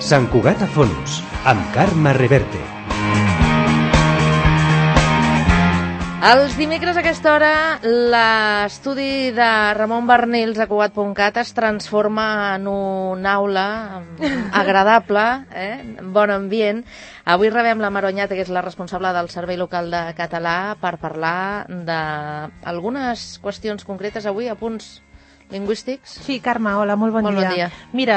Sant Cugat a Fons, amb Carme Reverte. Els dimecres a aquesta hora, l'estudi de Ramon Barnils a Cugat.cat es transforma en una aula agradable, bon ambient. Avui rebem la Maroñata, que és la responsable del Servei Local de Català, per parlar d'algunes qüestions concretes avui, a punts lingüístics. Sí, Carme, hola, molt bon dia. Mira,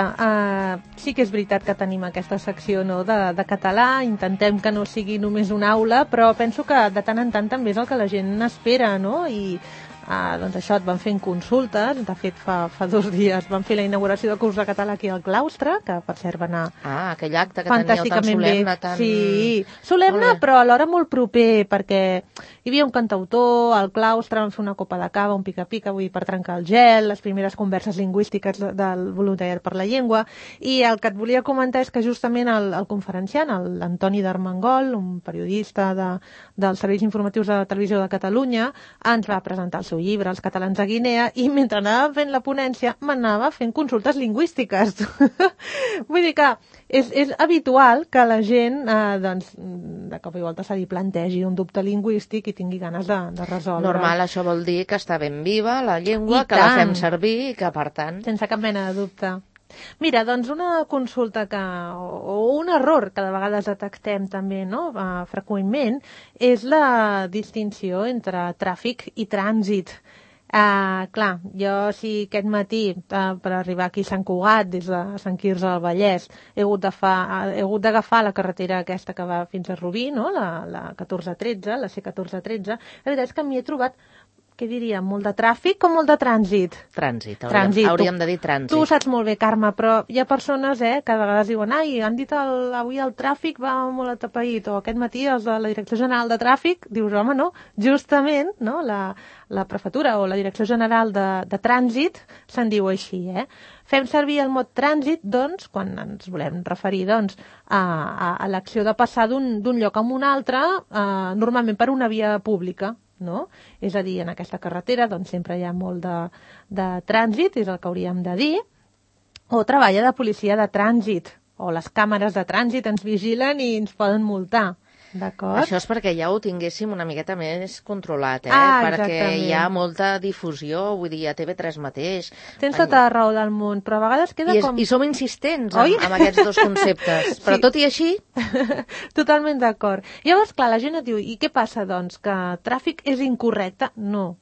sí que és veritat que tenim aquesta secció de català, intentem que no sigui només una aula, però penso que de tant en tant també és el que la gent espera, no? I doncs això, et van fent consultes, de fet fa 2 dies van fer la inauguració del curs de català aquí al claustre, que per cert va anar aquell acte que teníeu tan solemne, tan... Sí, solemne, però alhora molt proper, perquè hi havia un cantautor al claustre, van fer una copa de cava, un pica-pica, vull dir, per trencar el gel, les primeres converses lingüístiques del voluntariat per la llengua, i el que et volia comentar és que justament el conferenciant, l'Antoni d'Armengol, un periodista dels serveis informatius de Televisió de Catalunya, ens va presentar el seu llibre, Els catalans a Guinea, i mentre anava fent la ponència m'anava fent consultes lingüístiques. Vull dir que és habitual que la gent doncs, de cop i volta se li plantegi un dubte lingüístic i tingui ganes de resoldre. Normal, això vol dir que està ben viva la llengua, que la fem servir i que, per tant... Sense cap mena de dubte. Mira, doncs una consulta o un error que de vegades detectem també, no? Freqüentment, és la distinció entre tràfic i trànsit. Clar, jo si aquest matí per arribar aquí a Sant Cugat des de Sant Quirze del Vallès he hagut d'agafar la carretera aquesta que va fins a Rubí, no? La 1413, la C1413, la veritat és que m'hi he trobat, què diria, molt de tràfic o molt de trànsit? Trànsit, hauríem de dir trànsit. Tu ho saps molt bé, Carme, però hi ha persones que a vegades diuen han dit avui el tràfic va molt atapeït, o aquest matí els de la Direcció General de Tràfic, dius, home, no, justament, no, la prefectura o la Direcció General de Trànsit se'n diu així, Fem servir el mot trànsit, doncs, quan ens volem referir, doncs, a l'acció de passar d'un lloc a un altre, normalment per una via pública, no? És a dir, en aquesta carretera doncs sempre hi ha molt de trànsit, és el que hauríem de dir, o treballa de policia de trànsit, o les càmeres de trànsit ens vigilen i ens poden multar. D'acord? Això és perquè ja ho tinguéssim una miqueta més controlat, perquè hi ha molta difusió, vull dir, a TV3 mateix. Tens tota la raó del món, però a vegades queda I som insistents amb aquests dos conceptes, però tot i així... Totalment d'acord. Llavors, clar, la gent et diu, i què passa, doncs, que tràfic és incorrecte? No.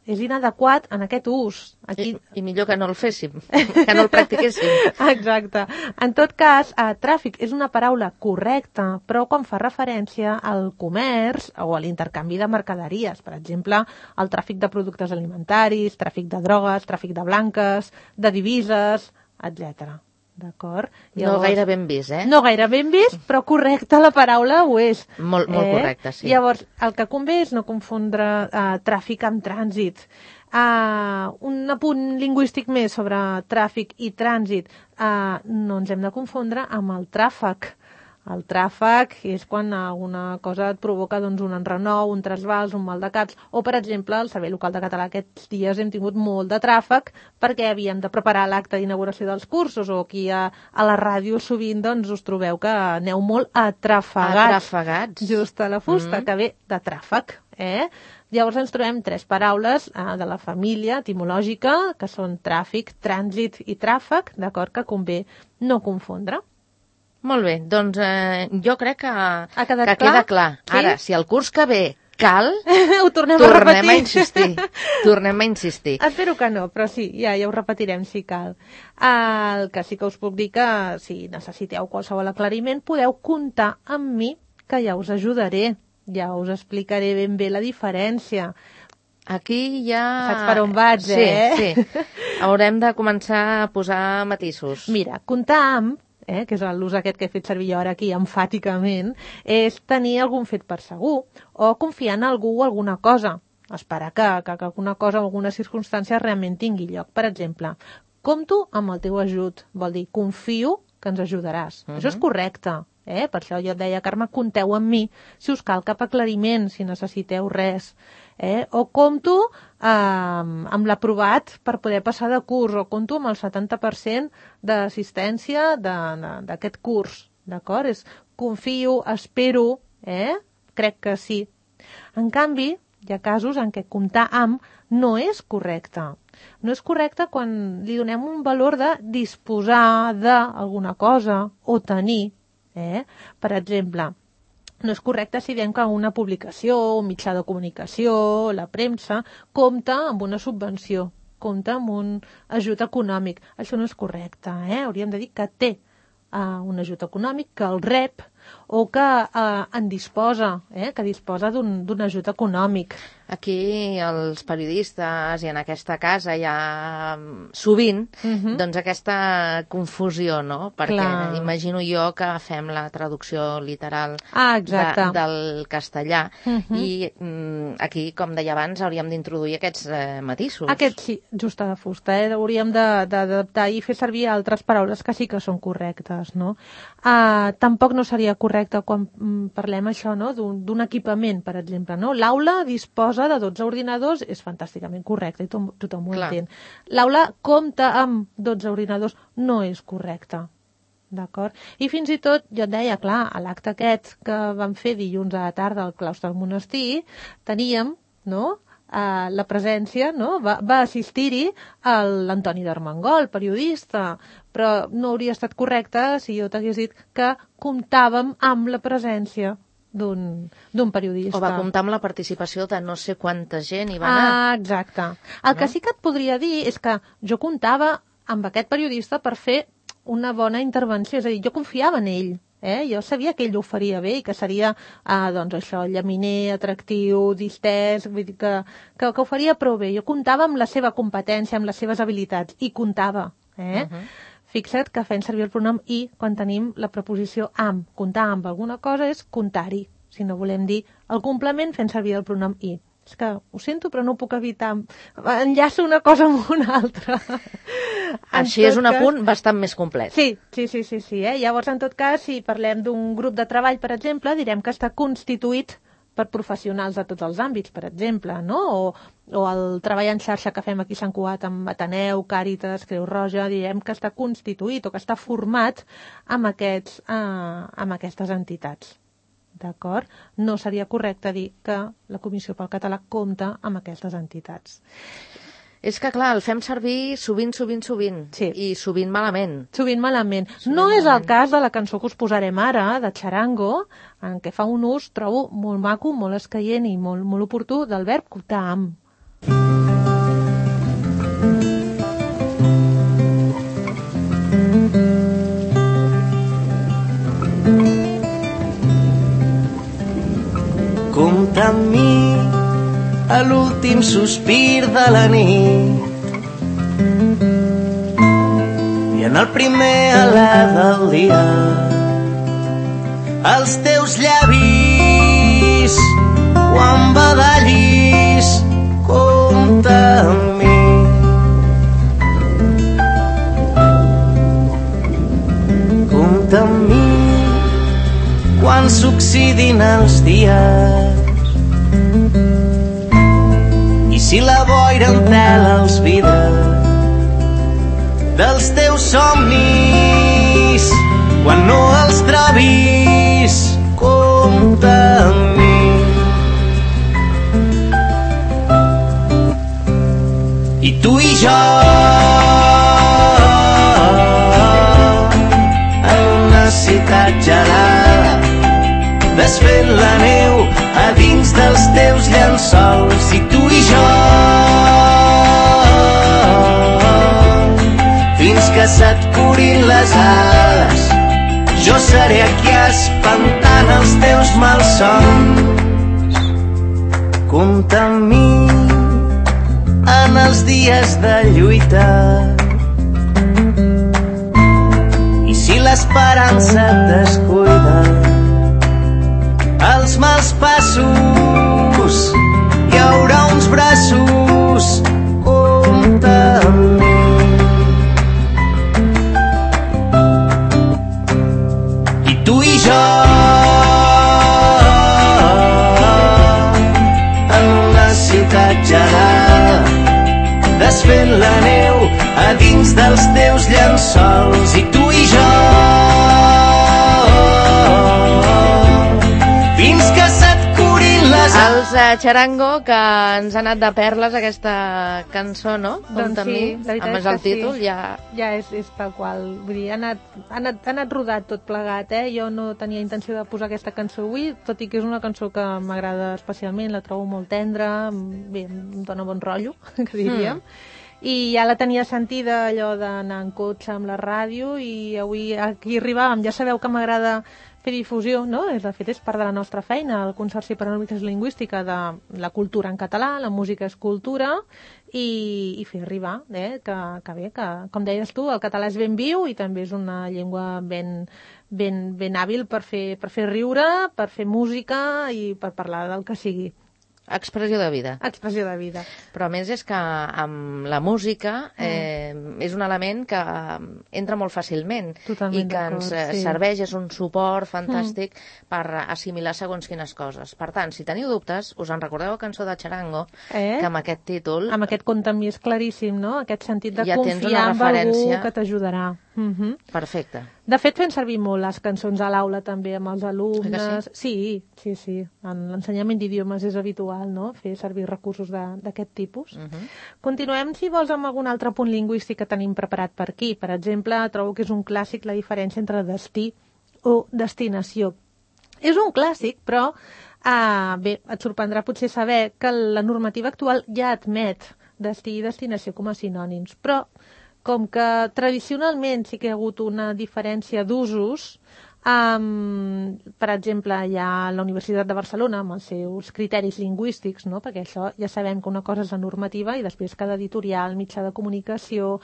És inadequat en aquest ús. Aquí... I millor que no el féssim, que no el practiquéssim. Exacte. En tot cas, tràfic és una paraula correcta, però quan fa referència al comerç o a l'intercanvi de mercaderies, per exemple, el tràfic de productes alimentaris, tràfic de drogues, tràfic de blanques, de divises, etc. D'acord? No gaire ben vist, No gaire ben vist, però correcte, la paraula ho és. Molt correcte, sí. Llavors, el que convé és no confondre tràfic amb trànsit. Un apunt lingüístic més sobre tràfic i trànsit. No ens hem de confondre amb el tràfec. El tràfec és quan alguna cosa et provoca doncs, un enrenou, un trasbals, un mal de caps, o, per exemple, el Servei Local de Català aquests dies hem tingut molt de tràfec perquè havíem de preparar l'acte d'inauguració dels cursos, o aquí a la ràdio sovint doncs, us trobeu que aneu molt atrafegats. Atrafegats. Just a la fusta, que ve de tràfec. Llavors ens trobem 3 paraules de la família etimològica, que són tràfic, trànsit i tràfec, d'acord, que convé no confondre. Molt bé, doncs jo crec que queda clar. Sí? Ara, si el curs que ve cal, ho tornem a repetir. Tornem a insistir. Espero que no, però sí, ja ho repetirem si cal. El que sí que us puc dir que si necessiteu qualsevol aclariment podeu comptar amb mi, que ja us ajudaré, ja us explicaré ben bé la diferència. Aquí ja... Saps per on vaig, Sí. Haurem de començar a posar matisos. Mira, comptar amb, que és l'ús aquest que he fet servir jo ara aquí enfàticament, és tenir algun fet per segur o confiar en algú o alguna cosa. Esperar que alguna cosa o alguna circumstància realment tingui lloc. Per exemple, compto amb el teu ajut, vol dir confio que ens ajudaràs. Això és correcte. Per això jo et deia, Carme, compteu amb mi si us cal cap aclariment, si necessiteu res. O compto amb l'aprovat per poder passar de curs, o compto amb el 70% d'assistència d'aquest curs, d'acord? Confio, espero, crec que sí. En canvi, hi ha casos en què comptar amb no és correcte. No és correcte quan li donem un valor de disposar d'alguna cosa o tenir. Per exemple, no és correcte si diem que una publicació, un mitjà de comunicació, la premsa, compta amb una subvenció, compta amb un ajut econòmic. Això no és correcte. Hauríem de dir que té un ajut econòmic, que el rep o que en disposa, que disposa d'un ajut econòmic. Aquí els periodistes i en aquesta casa hi ha sovint doncs aquesta confusió, no? Perquè imagino jo que fem la traducció literal del castellà i aquí, com deia abans, hauríem d'introduir aquests matisos. Aquests sí, just a la fusta. Hauríem d'adaptar i fer servir altres paraules que sí que són correctes, no? Tampoc no seria correcte quan parlem això, no? D'un equipament, per exemple, no? L'aula disposa de 12 ordinadors, és fantàsticament correcte i tothom ho entén. L'aula compta amb 12 ordinadors, no és correcte. D'acord? I fins i tot, jo et deia, clar, a l'acte aquest que vam fer dilluns a la tarda al claustre del monestir, teníem, no?, la presència, no? Va assistir-hi l'Antoni d'Armengol, periodista, però no hauria estat correcte si jo t'hagués dit que comptàvem amb la presència d'un periodista. O va comptar amb la participació de no sé quanta gent hi va anar. Exacte. El que sí que et podria dir és que jo comptava amb aquest periodista per fer una bona intervenció, és a dir, jo confiava en ell. Jo sabia que ell ho faria bé i que seria, doncs això, llaminer, atractiu, distès, vull dir que ho faria prou bé. Jo comptava amb la seva competència, amb les seves habilitats, i comptava. Fixa't que fem servir el pronom i quan tenim la preposició amb. Comptar amb alguna cosa és comptar-hi. Si no volem dir el complement, fem servir el pronom i. És que ho sento, però no puc evitar. Enllaço una cosa amb una altra. Així és un apunt bastant més complet. Sí. Llavors, en tot cas, si parlem d'un grup de treball, per exemple, direm que està constituït per professionals de tots els àmbits, per exemple, no? O el treball en xarxa que fem aquí a Sant Cugat amb Ateneu, Càritas, Creu Roja, direm que està constituït o que està format amb aquestes entitats. D'acord? No seria correcte dir que la Comissió pel Català compta amb aquestes entitats. És que, clar, el fem servir sovint. Sí. I sovint malament. Sovint malament. No és el cas de la cançó que us posarem ara, de Charango, en què fa un ús, trobo, molt maco, molt escaient i molt oportú del verb comptar amb. Compta amb mi a l'últim sospir de la nit i en el primer alè del dia els teus llavis quan badallis compta amb mi compta amb mi quan s'oxidin els dies i si la boira entela els vidres dels teus somnis quan no els trobis compta amb mi i tu i jo en una ciutat gelada desfent la neu a dins dels teus llençols i tu i jo fins que se't curin les ales jo seré aquí espantant els teus malsons compta amb mi en els dies de lluita i si l'esperança et descuida els mals passos hi haurà uns braços compta amb mi i tu i jo en una a dins dels teus llençols, i tu i jo, fins que se't curin les... Els Charango, que ens ha anat de perles aquesta cançó, no? Doncs sí, la veritat amb és el que títol, sí. ja... Ja és tal qual. Vull dir, ha anat rodat tot plegat, eh? Jo no tenia intenció de posar aquesta cançó avui, tot i que és una cançó que m'agrada especialment, la trobo molt tendra, bé, em dona bon rotllo, que diríem. I ja la tenia sentida, allò d'anar en cotxe amb la ràdio, i avui aquí arribàvem. Ja sabeu que m'agrada fer difusió, no? De fet, és part de la nostra feina, el Consorci per a la Normalització Lingüística, de la cultura en català, la música és cultura, i fer arribar, que bé, que, com deies tu, el català és ben viu i també és una llengua ben hàbil per fer riure, per fer música i per parlar del que sigui. Expressió de vida. Expressió de vida. Però a més és que amb la música és un element que entra molt fàcilment. Totalment i que ens serveix, és un suport fantàstic per assimilar segons quines coses. Per tant, si teniu dubtes, us en recordeu la cançó de Charango, que amb aquest títol... Amb aquest conte amb mi és claríssim, no? Aquest sentit de ja confiar en algú que t'ajudarà. Perfecte. De fet, fem servir molt les cançons a l'aula també amb els alumnes. Sí. En l'ensenyament d'idiomes és habitual, no?, fer servir recursos d'aquest tipus. Continuem, si vols, amb algun altre punt lingüístic que tenim preparat per aquí. Per exemple, trobo que és un clàssic la diferència entre destí o destinació. És un clàssic, però bé, et sorprendrà potser saber que la normativa actual ja admet destí i destinació com a sinònims, però com que tradicionalment sí que hi ha hagut una diferència d'usos, per exemple, hi ha la Universitat de Barcelona amb els seus criteris lingüístics, no? Perquè això ja sabem que una cosa és la normativa i després cada editorial, mitjà de comunicació,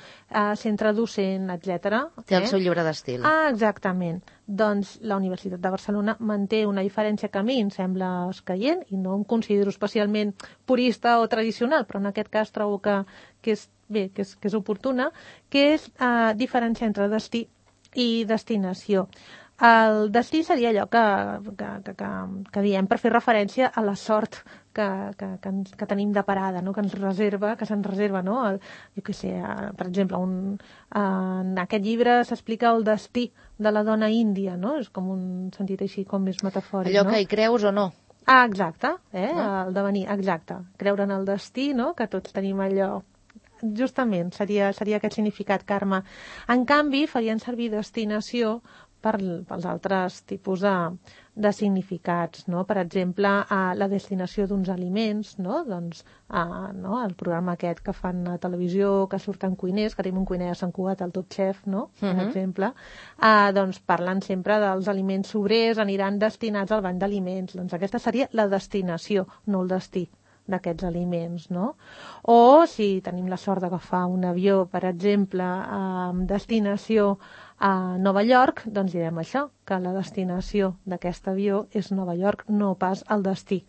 centre docent, etc. Té el seu llibre d'estil. Exactament. Doncs la Universitat de Barcelona manté una diferència que a mi em sembla escaient i no em considero especialment purista o tradicional, però en aquest cas trobo que és oportuna, que és diferenciar entre destí i destinació. El destí seria allò que diem per fer referència a la sort que tenim de parada, no? Que se'ns reserva, no? Jo què sé, per exemple, en aquest llibre s'explica el destí de la dona índia, no? És com un sentit així com més metafòric, allò que hi creus o no. Exacte, el devenir, exacte. Creure en el destí, no? Que tots tenim allò. Justament, seria aquest significat, Carme. En canvi, farien servir destinació pels altres tipus de significats, no? Per exemple, la destinació d'uns aliments, no? Doncs, el programa aquest que fan a televisió, que surten cuiners, que tenim un cuiner a Sant Cugat, el Top Chef, no? Per exemple, doncs parlen sempre dels aliments sobrers, aniran destinats al banc d'aliments. Doncs aquesta seria la destinació, no el destí d'aquests aliments, no? O si tenim la sort d'agafar un avió, per exemple, amb destinació a Nova York, doncs direm això, que la destinació d'aquest avió és Nova York, no pas el destí.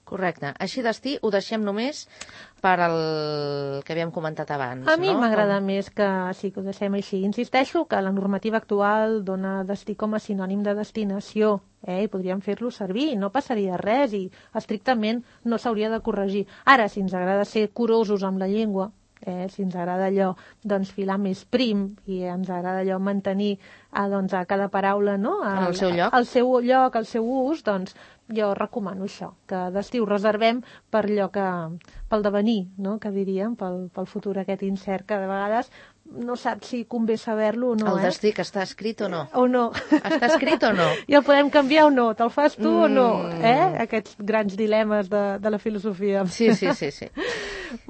Correcte. Així destí ho deixem només per el que havíem comentat abans, A mi m'agrada més que sí que ho deixem així. Insisteixo que la normativa actual dona destí com a sinònim de destinació, i podríem fer-lo servir, no passaria res i estrictament no s'hauria de corregir. Ara, si ens agrada ser curosos amb la llengua, si ens agrada allò filar més prim i ens agrada allò mantenir a cada paraula, no? El seu lloc. El seu lloc, el seu ús, doncs jo recomano això, que destí ho reservem per allò pel devenir, no? Que diríem, pel futur aquest incert, que de vegades no saps si convé saber-lo o no. El destí, que està escrit o no? O no. Està escrit o no? I el podem canviar o no? Te'l fas tu o no? Aquests grans dilemes de la filosofia. Sí.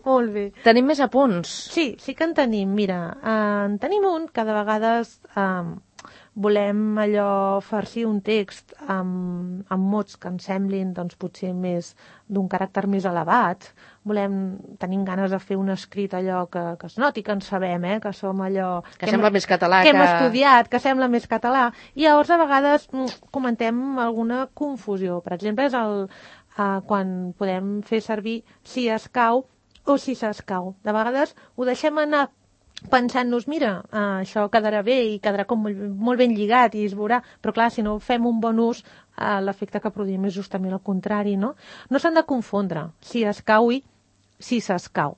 Molt bé. Tenim més apunts? Sí que en tenim. Mira, en tenim un que de vegades volem allò farcir un text amb mots que ens semblin potser més d'un caràcter més elevat. Tenim ganes de fer un escrit allò que es noti que en sabem, que som allò... Que sembla més català. Que hem estudiat, que sembla més català. I llavors a vegades comentem alguna confusió. Per exemple, és quan podem fer servir si escau o si s'escau. De vegades ho deixem anar pensant-nos, mira, això quedarà bé i quedarà com molt ben lligat i es veurà, però clar, si no fem un bon ús, l'efecte que produïm és justament el contrari, no? No s'han de confondre si escau i si s'escau.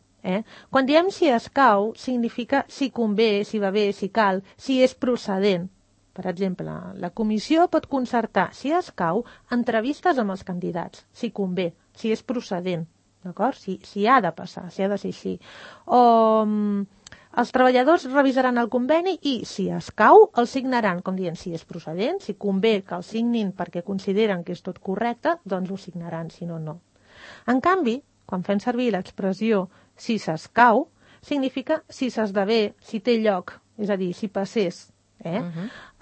Quan diem si escau, significa si convé, si va bé, si cal, si és procedent. Per exemple, la comissió pot concertar, si escau, entrevistes amb els candidats, si convé, si és procedent, d'acord? Si ha de passar, si ha de ser així. O els treballadors revisaran el conveni i, si escau, el signaran, com dient, si és procedent, si convé que el signin perquè consideren que és tot correcte, doncs ho signaran, si no, no. En canvi, quan fem servir l'expressió si s'escau, significa si s'esdevé, si té lloc, és a dir, si passés.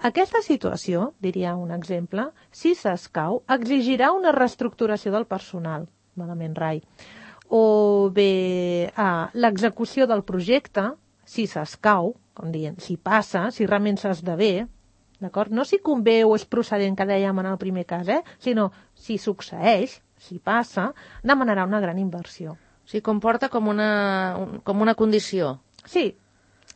Aquesta situació, diria un exemple, si s'escau, exigirà una reestructuració del personal, malament rai. O bé, l'execució del projecte, si s'escau, com dient, si passa, si realment s'esdevé, d'acord? No si convé o és procedent, que dèiem en el primer cas, sinó si succeeix, si passa, demanarà una gran inversió. O sigui, comporta com una condició. Sí,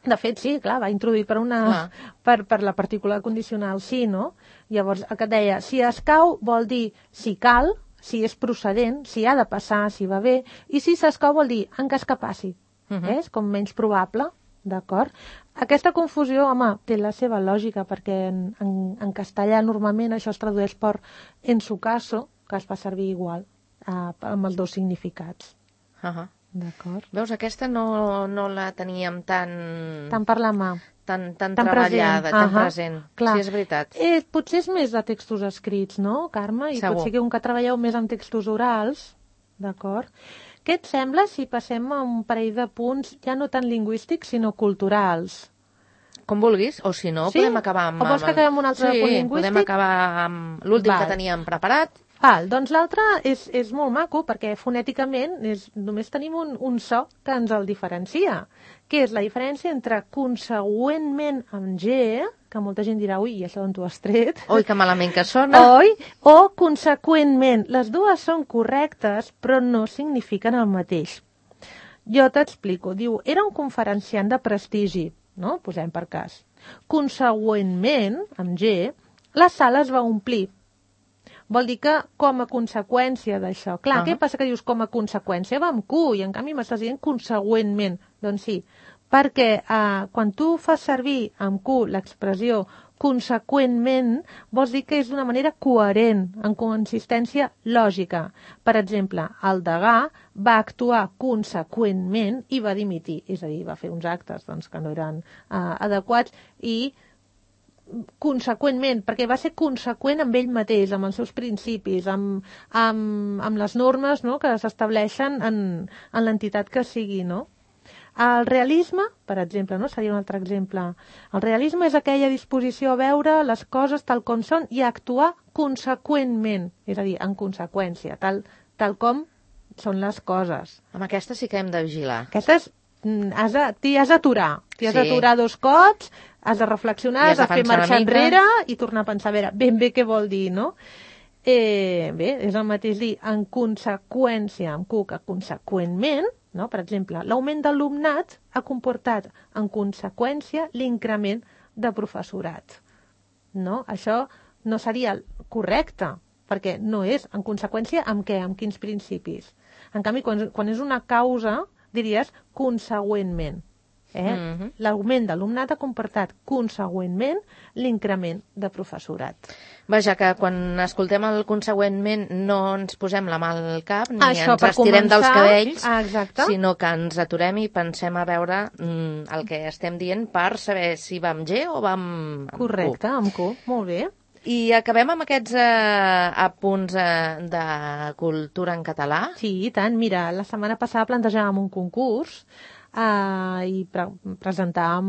de fet, sí, clar, va introduir per la partícula condicional sí, no? Llavors, el que et deia, si escau vol dir si cal, si és procedent, si ha de passar, si va bé, i si s'escau vol dir en cas que passi. És com menys probable, d'acord? Aquesta confusió, home, té la seva lògica, perquè en castellà normalment això es tradueix per en su caso, que es fa servir igual, amb els dos significats. D'acord. Veus, aquesta no la teníem tan per la mà. Tan treballada, tan present. Clar. Sí, és veritat. Potser és més de textos escrits, no, Carme? I segur. Potser que un que treballeu més amb textos orals, d'acord? Què et sembla si passem a un parell de punts ja no tan lingüístics, sinó culturals? Com vulguis, o si no, podem acabar amb... O vols que acabem amb un altre punt lingüístic? Sí, podem acabar amb l'últim que teníem preparat. Doncs l'altre és molt maco, perquè fonèticament només tenim un so que ens el diferencia, que és la diferència entre consegüentment amb G, que molta gent dirà, ui, i això d'on t'ho has tret? Oi, que malament que sona. Oi? O conseqüentment. Les dues són correctes, però no signifiquen el mateix. Jo t'explico. Diu, era un conferenciant de prestigi, no? Posem per cas. Consegüentment, amb G, la sala es va omplir. Vol dir que com a conseqüència d'això. Clar, què passa que dius com a conseqüència? Va amb Q, i en canvi m'estàs dient consegüentment. Doncs sí, perquè quan tu fas servir amb Q l'expressió conseqüentment, vols dir que és d'una manera coherent, en consistència lògica. Per exemple, el degà va actuar conseqüentment i va dimitir, és a dir, va fer uns actes que no eren adequats i conseqüentment, perquè va ser conseqüent amb ell mateix, amb els seus principis, amb les normes, no?, que s'estableixen en l'entitat que sigui, no? El realisme, per exemple, no? Seria un altre exemple. El realisme és aquella disposició a veure les coses tal com són i a actuar conseqüentment, és a dir, en conseqüència, tal com són les coses. Amb aquesta sí que hem de vigilar. Aquestes t'hi has d'aturar. T'hi has d'aturar 2 cops, has de reflexionar, has de fer marxar enrere i tornar a pensar, a veure, ben bé què vol dir, no? Bé, és el mateix dir en conseqüència, amb Q, que conseqüentment, no? Per exemple, l'augment d'alumnat ha comportat en conseqüència l'increment de professorat. No? Això no seria correcte, perquè no és en conseqüència amb què, amb quins principis. En canvi, quan és una causa, diries consegüentment. L'augment d'alumnat ha comportat consegüentment l'increment de professorat. Vaja, que quan escoltem el consegüentment no ens posem la mà al cap ni ens estirem dels cabells, sinó que ens aturem i pensem a veure el que estem dient per saber si va amb G o va amb Q. Correcte, amb Q, molt bé. I acabem amb aquests apunts de cultura en català? Sí, i tant. Mira, la setmana passada plantejàvem un concurs i presentàvem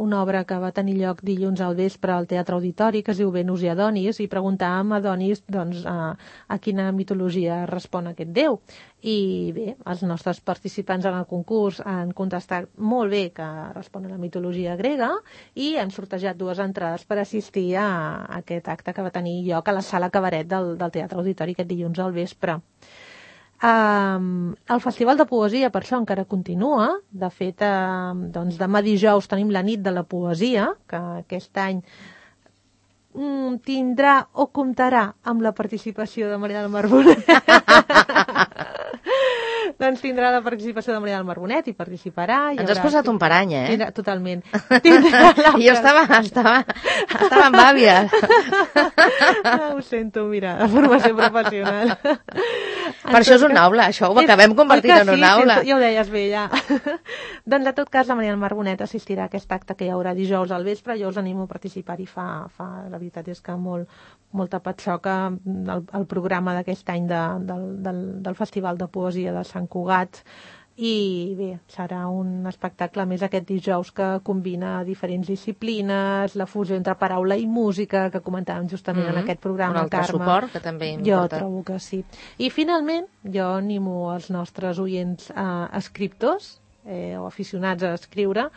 una obra que va tenir lloc dilluns al vespre al Teatre Auditori, que es diu Venus i Adonis, i preguntàvem a Adonis a quina mitologia respon aquest déu. I bé, els nostres participants en el concurs han contestat molt bé que respon a la mitologia grega i han sortejat 2 entrades per assistir a aquest acte que va tenir lloc a la sala Cabaret del Teatre Auditori aquest dilluns al vespre. El Festival de Poesia, per això, encara continua. De fet, demà dijous tenim la nit de la poesia, que aquest any tindrà o comptarà amb la participació de Maria del Mar Bonet. Doncs tindrà la participació de Maria del Marbonet, i participarà. Ens has posat un parany, Tindrà, totalment. Jo estava amb àvia. Ho sento, mira, la formació professional. Per això és una aula, això ho acabem convertint en una aula. Ja ho deies bé, ja. Doncs, en tot cas, la Maria del Marbonet assistirà a aquest acte que hi haurà dijous al vespre. Jo us animo a participar-hi. La veritat és que molta patxoca el programa d'aquest any del Festival de Poesia de Sant Cugat. I bé, serà un espectacle més aquest dijous que combina diferents disciplines, la fusió entre paraula i música que comentàvem justament en aquest programa, un altre Carme. suport que també Jo importa. trobo que sí. I finalment, jo animo els nostres oients escriptors o aficionats a escriure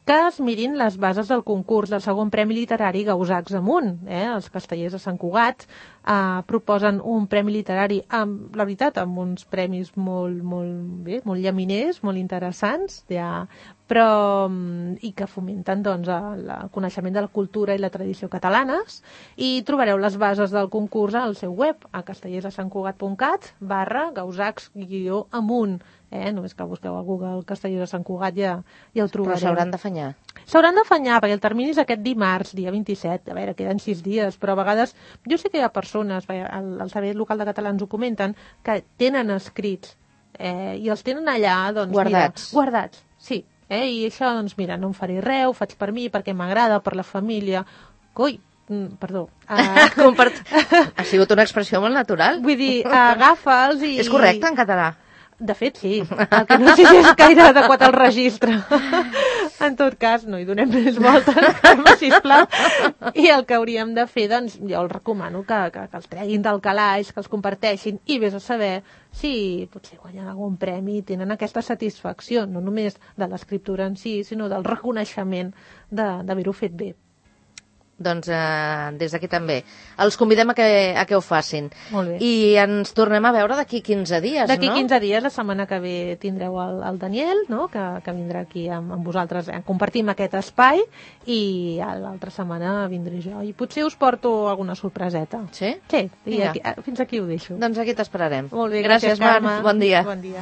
que es mirin les bases del concurs del segon Premi Literari Gausacs Amunt. Els castellers de Sant Cugat proposen un premi literari, la veritat, amb uns premis molt llaminers, molt interessants, i que fomenten el coneixement de la cultura i la tradició catalanes. I trobareu les bases del concurs al seu web, a castellersdesantcugat.cat/gausacs-amunt. Només que busqueu a Google Castellers de Sant Cugat ja ho trobareu. Però s'hauran d'afanyar. S'hauran d'afanyar, perquè el termini és aquest dimarts, dia 27. A veure, queden 6 dies, però a vegades jo sé que hi ha persones, el Servei Local de Catalans ho comenten, que tenen escrits i els tenen allà, doncs, guardats. Mira, guardats, sí. I això, doncs, mira, no em faré res, ho faig per mi, perquè m'agrada, per la família. Perdó. Ha sigut una expressió molt natural. Vull dir, agafa'ls i... És correcte en català? De fet, sí. El que no sé si és gaire adequat al registre. En tot cas, no hi donem més voltes, sisplau. I el que hauríem de fer, doncs, jo els recomano que els treguin del calaix, que els comparteixin, i vés a saber si potser guanyen algun premi i tenen aquesta satisfacció, no només de l'escriptura en si, sinó del reconeixement d'haver-ho fet bé. Doncs des d'aquí també. Els convidem a que ho facin. Molt bé. I ens tornem a veure d'aquí 15 dies, no? D'aquí 15 dies, la setmana que ve, tindreu el Daniel, no? que vindrà aquí amb vosaltres. Compartim aquest espai i l'altra setmana vindré jo. I potser us porto alguna sorpreseta. Sí? Sí, fins aquí ho deixo. Doncs aquí t'esperarem. Molt bé, gràcies, Marc. Carme. Bon dia. Bon dia.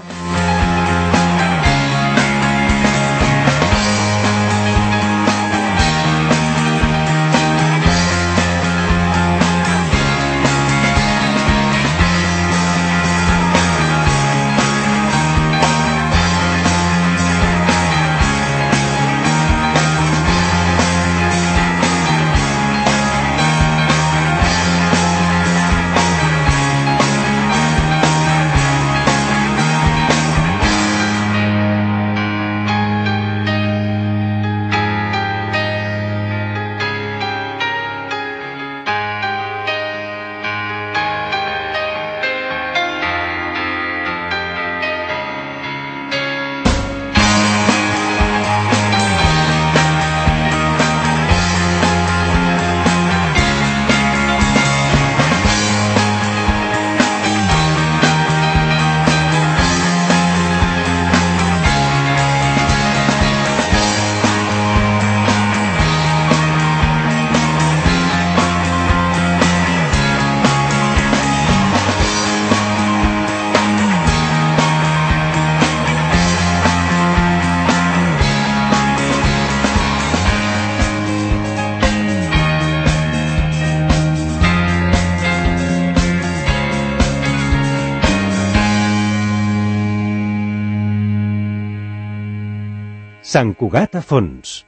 Sant Cugat a fons.